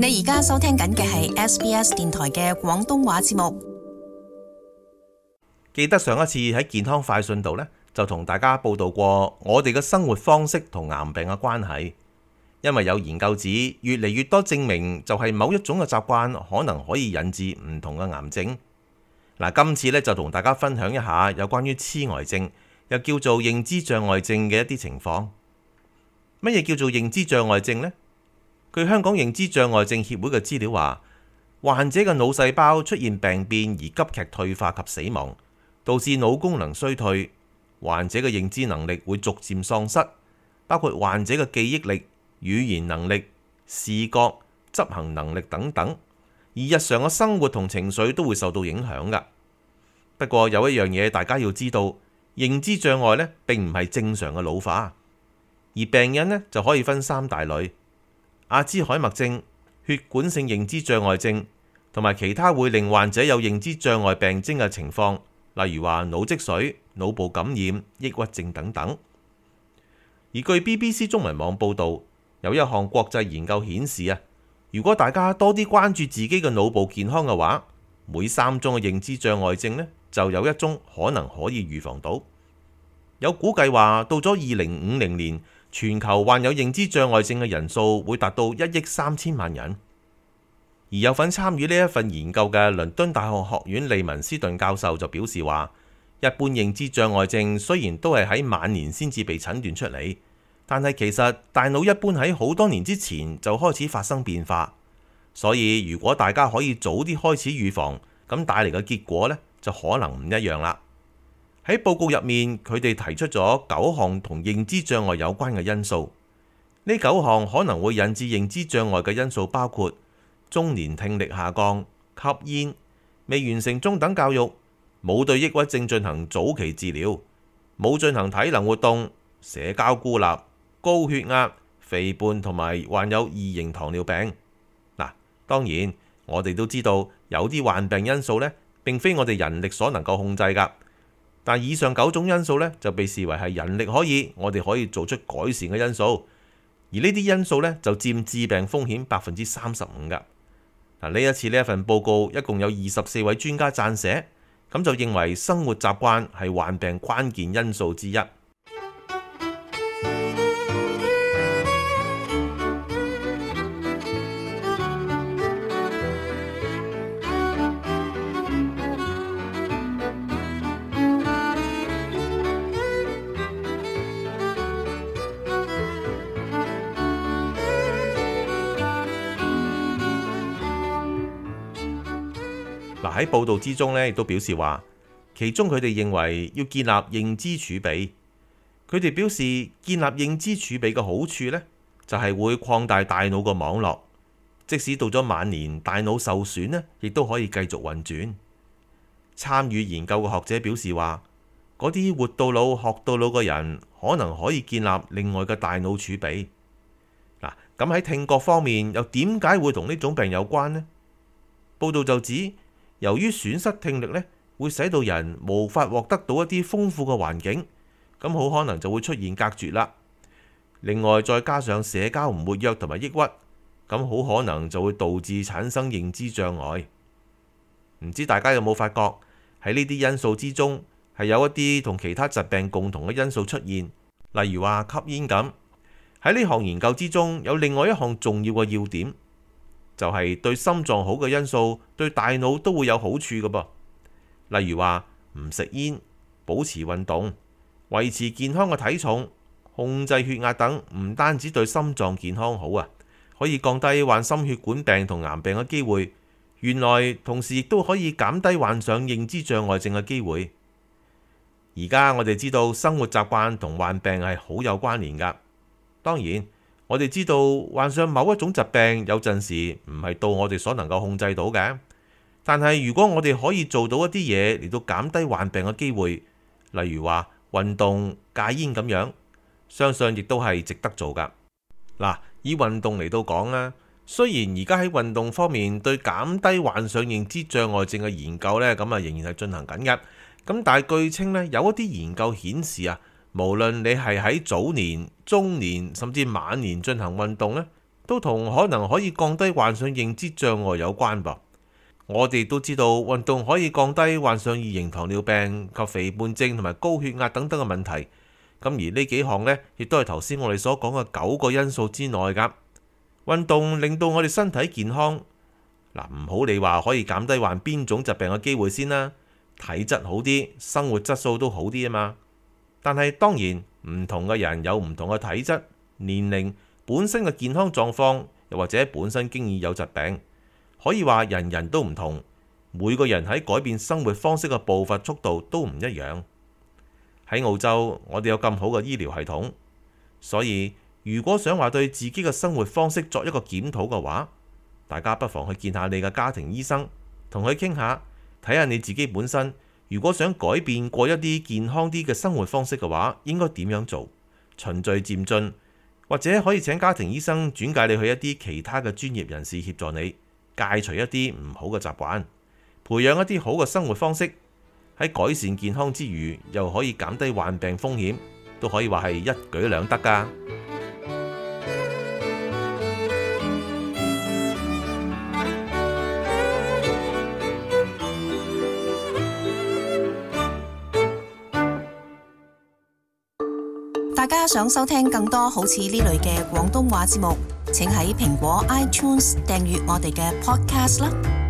你而家收聽緊嘅係 SBS 電台嘅廣東話節目。記得上一次喺健康快訊度呢，就同大家報道過我哋嘅生活方式同癌病嘅關係。因為有研究指，越嚟越多證明就係某一種嘅習慣可能可以引致唔同嘅癌症。嗱，今次呢，就同大家分享一下有關於痴呆症，又叫做認知障礙症嘅一啲情況。乜嘢叫做認知障礙症呢？據香港認知障礙症協會嘅資料話，患者嘅腦細胞出現病變而急劇退化及死亡，導致腦功能衰退，患者嘅認知能力會逐漸喪失，包括患者嘅記憶力、語言能力、視覺、執行能力等等，而日常嘅生活同情緒都會受到影響㗎。不過有一樣嘢大家要知道，認知障礙呢並唔係正常嘅老化，而病因呢就可以分三大類。阿茲海默症、血管性認知障礙症同埋其他會令患者有認知障礙病徵嘅情況，例如話腦積水、腦部感染、抑鬱症等等。而據 BBC 中文網報導，有一項國際研究顯示啊，如果大家多啲關注自己嘅腦部健康嘅話，每3宗嘅認知障礙症呢，就有1宗可能可以預防到。有估計話，到咗2050年，全球患有認知障礙症嘅人數會達到1億3千萬人。而有份參與呢一份研究嘅倫敦大學學院利文斯頓教授就表示話，一般認知障礙症雖然都係喺晚年先至被診斷出嚟，但係其實大腦一般喺好多年之前就開始發生變化。所以如果大家可以早啲開始預防，咁帶嚟嘅結果呢，就可能唔一樣啦。喺報告入面，佢哋提出咗9項同認知障礙有關嘅因素。呢9項可能會引致認知障礙嘅因素包括中年聽力下降、吸煙、未完成中等教育、冇對抑鬱症進行早期治療、冇進行體能活動、社交孤立、高血壓、肥胖同埋患有2型糖尿病。嗱，當然我哋都知道有啲患病因素呢，並非我哋人力所能夠控制㗎。但以上9種因素呢，就被視為係人力我哋可以做出改善嘅因素，而呢啲因素呢，就佔致病風險35%㗎。嗱，呢一次呢一份報告一共有24位專家撰寫，咁就認為生活習慣係患病關鍵因素之一。喺報道之中呢，亦都表示話，其中佢哋認為要建立認知儲備。佢哋表示建立認知儲備嘅好處呢，就係會擴大大腦個網絡，即使到咗晚年大腦受損呢，亦都可以繼續運轉。參與研究嘅學者表示話，嗰啲活到老學到老嘅人，可能可以建立另外嘅大腦儲備。嗱，咁喺聽覺方面又點解會同呢種病有關呢？報道就指，由於損失聽力呢，會使到人無法獲得到一啲豐富嘅環境，咁好可能就會出現隔絕啦。另外再加上社交唔活躍同埋抑鬱，咁好可能就會導致產生認知障礙。唔知大家有冇發覺喺呢啲因素之中，係有一啲同其他疾病共同嘅因素出現，例如話吸煙咁。喺呢項研究之中，有另外一項重要嘅要點，就係對心臟好嘅因素，對大腦都會有好處嘅噃。例如話唔食煙、保持運動、維持健康嘅體重、控制血壓等，唔單止對心臟健康好啊，可以降低患心血管病同癌病嘅機會。原來同時亦都可以減低患上認知障礙症嘅機會。而家我哋知道生活習慣同患病係好有關聯㗎。當然，我哋知道患上某一種疾病有陣時唔係到我哋所能夠控制到嘅，但係如果我哋可以做到一啲嘢嚟到減低患病嘅機會，例如話運動、戒煙咁樣，相信亦都係值得做㗎。嗱，以運動嚟到講啦，雖然而家喺運動方面對減低患上認知障礙症嘅研究呢，咁啊仍然係進行緊嘅。咁但係據稱呢，有一啲研究顯示啊，無論你係喺早年、中年甚至晚年進行運動呢，都同可能可以降低患上認知障礙有關噃。我哋都知道運動可以降低患上二型糖尿病及肥胖症同埋高血壓等等嘅問題。咁而呢幾項呢，亦都係頭先我哋所講嘅9個因素之內㗎。運動令到我哋身體健康，唔好你話可以減低患邊種疾病嘅機會先啦，體質好啲，生活質素都好啲啊嘛。但係當然唔同嘅人有唔同嘅體質、年齡、本身嘅健康狀況，又或者本身經已有疾病，可以話人人都唔同。每個人喺改變生活方式嘅步伐速度都唔一樣。喺澳洲，我哋有咁好嘅醫療系統，所以如果想話對自己嘅生活方式作一個檢討嘅話，大家不妨去見下你嘅家庭醫生，同佢傾下，睇下你自己本身如果想改變過一啲健康啲嘅生活方式嘅話，應該點樣做？循序漸進，或者可以請家庭醫生轉介你去一啲其他嘅專業人士協助你戒除一啲唔好嘅習慣，培養一啲好嘅生活方式，喺改善健康之餘，又可以減低患病風險，都可以話係一舉兩得㗎。大家想收聽更多好似呢類嘅廣東話節目，請喺蘋果 iTunes 訂閱我哋嘅 Podcast 啦。